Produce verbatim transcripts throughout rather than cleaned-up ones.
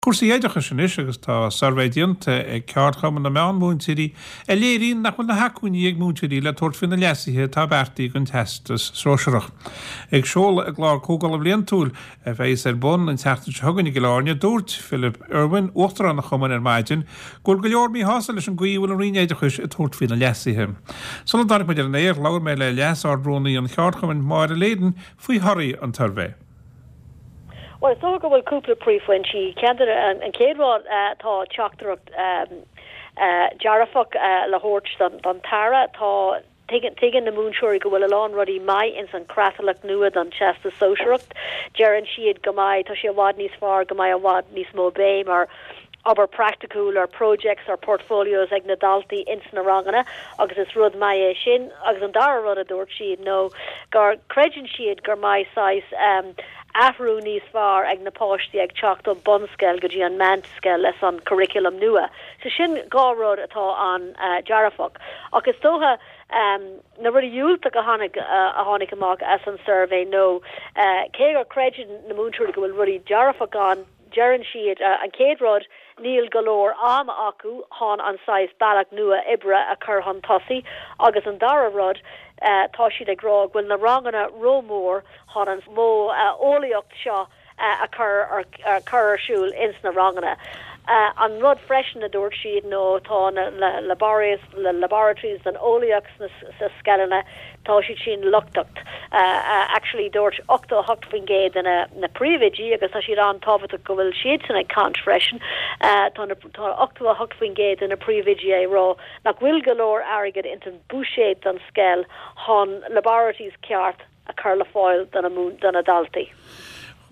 Cúrsaí oideachais anois agus tá suirbhé déanta ag Ceardchumann na Meánmhúinteoirí a léiríonn nach bhfuil na hacmhainní ag múinteoirí le tabhairt faoi na leasuithe atá beartaithe don Teastas Sóisearach. Ag seoladh a gclár comhdhála bliantúil a bheas ar bun an tseachtain seo chugainn i gCill Airne, dúirt Philip Irwin, Uachtarán an Chumainn ar maidin, go bhfuil go leor míshásta leis an gcaoi a bhfuil an Roinn Oideachais ag tabhairt faoi na leasuithe. Sula dtáinig muid ar an aer, labhair mé le Leas-Ard-Rúnaí an Cheardchumainn, Máire Leyden, faoi thorthaí an tsuirbhé. Well, is dócha go bhfuil cúpla príomhphointí an chéad rud tá teachtaireacht dearfach le thabhairt don tAire tá tuigeann na múinteoirí go bhfuil a lán rudaí maith ins an chreatlach nua don Teastas Sóisearach deireann siad go mbeidh tá sé i bhfad níos fearr go mbeidh i bhfad níos mó béim ar obair praiticiúil ar projects ar portfolios ag na daltaí ins na ranganna agus is rud maith é sin agus an dara rud a dúirt siad nó gur creideann siad gur maith saghas um, athrú níos fearr ag na páistí ag teacht ó bunscoil go dtí an meánscoil leis an curriculum nua. So sin dhá rud atá an uh, dearfach. Ach is dócha um, na rudaí diúltach a tháinig uh, a tháinig amach as an survey nó uh, cé gur creideann na múinteoirí go bhfuil rudaí dearfach ann deireann siad uh, an chéad rud níl go leor ama acu chun an saghas bealach nua oibre a chur chun tosaigh agus an dara rud uh, tá siad ag rá bhfuil na ranganna rómhór chun an modh uh, eolaíocht seo uh, a chur ar, ar chur ar siúl ins na ranganna. Uh, an rud freisin a dúirt siad nó tá na laboratories le laboratories den eolaíocht sa scoileanna tá siad sin lochtach. Uh, uh, actually dúirt ochtó hocht faoin gcéad na na príomhoidí agus tá siad an-tábhachtach go bhfuil siad san ag caint freisin uh, tá ochtó hocht faoin gcéad na príomhoidí ag rá nach bhfuil go leor airgead in an buiséad don scoil chun laboratories ceart a chur le fáil do na daltaí.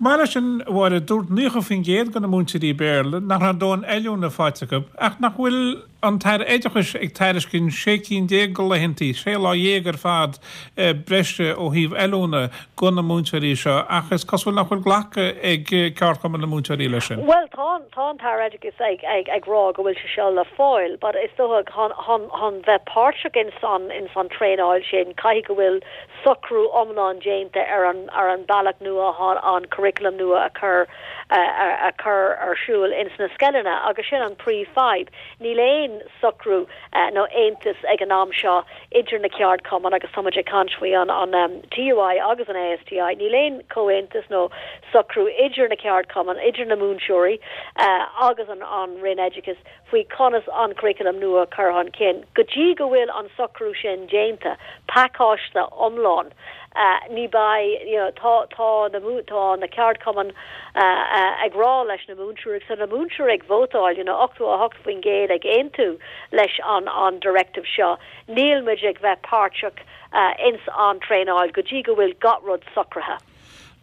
Mar sin bhar dúirt nócha faoin gcéad de na múinteoirí Béarla nach raibh dóthain oiliúna faighte acu ach nach bhfuil an tAire Oideachais ag tairiscint sé cinn déag de laethanta sé lá dhéag ar fad eh, breise ó thaobh oiliúna do na múinteoirí seo ach is cosúil nach bhfuil glactha ag Ceardchumann na múinteoirí leis sin. Well tá tá an tAire Oideachais ag ag ag rá go bhfuil sé seo le fáil, but is dócha chun bheith páirteach in san in san traenáil sin caithfidh go bhfuil socrú iomlán déanta ar an ar an bealach nua an curriculum nua a chur a chur ar siúl ins na scoileanna agus sin an príomhfhadhb. Níl aon socrú uh, nó aontas ag an am seo idir na ceardchumainn agus tá ag caint faoi an an um, TUI agus an ASTI. Níl aon comhaontas nó socrú idir na ceardchumainn idir na múinteoirí uh, agus an an Roinn Oideachais faoi conas an curriculum nua chur chun cinn. Go dtí go bhfuil an socrú sin déanta pacáiste iomlán. Uh, ní bheidh you know, tá tá na tá na ceardchumainn uh, uh, ag rá leis na múinteoirí sa na múinteoirí ag vótáil you know, ochtó a hocht faoin gcéad ag aontú leis an an directive seo. Níl muid ag bheith páirteach uh, ins an traenáil go dtí go bhfuil gach rud socraithe.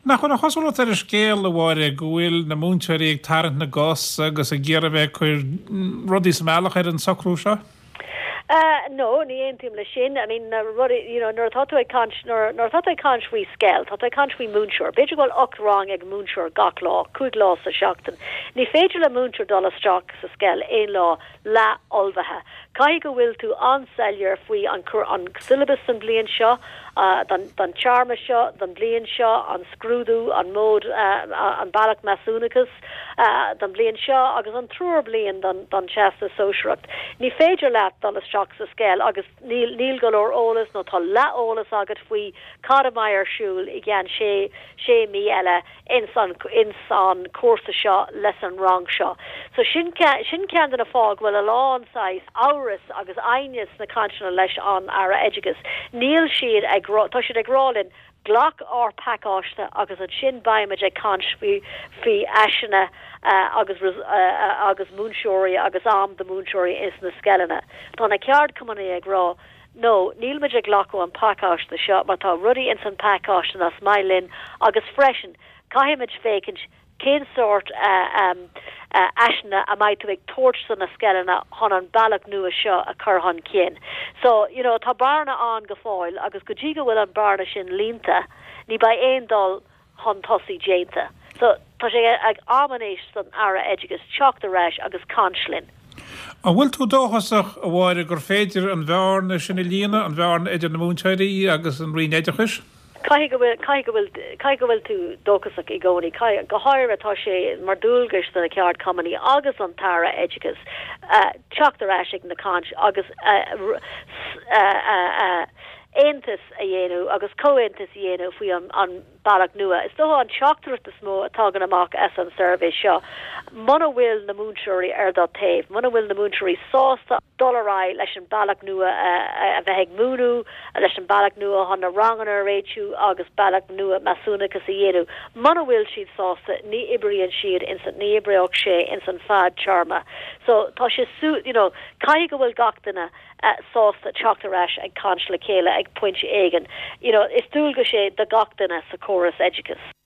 Nach bhfuil an chosúlacht ar an scéal a Mháire go bhfuil na múinteoirí ag tarraingt na gcos agus ag iarraidh bheith ag cur rudaí sa mbealach ar an socrú seo? Uh, no, ní aontaím le sin. I mean uh, you know, nuair atá tú ag caint nuair atá tú ag caint faoi scoil, tá tú ag caint faoi múinteoir. B'fhéidir go bhfuil ocht rang ag múinteoir gach lá, cúig lá sa seachtain. Ní féidir le múinteoir dul isteach sa scoil aon lá leath-ullmhaithe. Caithfidh go bhfuil tú an-soiléir faoi an an syllabus an bliain seo, uh, don, don téarma seo, don bliain seo, an scrúdú, an mód uh, an bealach measúnachas uh, don bliain seo agus an triúr bliain don, don Teastas Sóisearach. Ní féidir leat dul isteach sa scoil agus níl níl go leor eolas nó tá leath-eolas agat faoi cad a bheidh ar siúl i gceann sé sé mí eile ins an ins an cúrsa seo leis an rang seo. So sin sin ceann de na fáthanna bhfuil a lán saghas amhras agus aighneas na cainteanna leis an Aire Oideachais. Níl siad ag tá siad ag rá linn glac ár pacáiste agus ansin beimid ag caint faoi faoi áiseanna uh, agus uh, agus múinteoirí agus am do múinteoirí is na scoileanna. Tá na ceardchumainn ag rá No, níl muid ag glacadh an pacáiste seo mar tá rudaí ins an pacáiste nach maith linn agus freisin caithfimid féachaint cén sórt uh, um, uh, áiseanna a mbeidh tú ag tabhairt do na scoileanna chun an bealach nua seo a chur chun cinn. So you know, tá bearna ann go fóill agus go dtí go bhfuil an bearna sin líonta, ní bheidh aon dul chun tosaigh déanta. So tá sé ag am anois don Aire Oideachais teacht ar ais agus caint linn. An bhfuil tú dóchasach a Mháire gur féidir an bhearna sin a líonadh an bhearna idir na múinteoirí agus an Roinn Oideachais? Caithfidh go bhfuil caithfidh go bhfuil caithfidh go bhfuil tú dóchasach i gcónaí go háirithe tá sé mar dualgas do na ceardchumainn agus an tAire Oideachais teacht ar ais ag na caint agus aontas a dhéanamh agus comhaontas a dhéanamh faoi an an bealach nua. Is dócha an teachtaireacht is mó a thagann amach as an suirbhé seo. Muna bhfuil na múinteoirí ar do thaobh, muna bhfuil na múinteoirí sásta dul ar aghaidh leis an bealach nua a bheith ag múineadh, leis an bealach nua chun na ranganna a réitiú agus bealach nua measúnachas a dhéanamh. Muna bhfuil siad sásta ní oibríonn siad ins ní oibreoidh sé ins an fadtéarma. So tá sé you know, caithfidh go bhfuil gach duine uh, sásta teacht ar ais ag caint le chéile ag pointe éigin. You know, is dualgas é do gach duine sa chóras oideachais.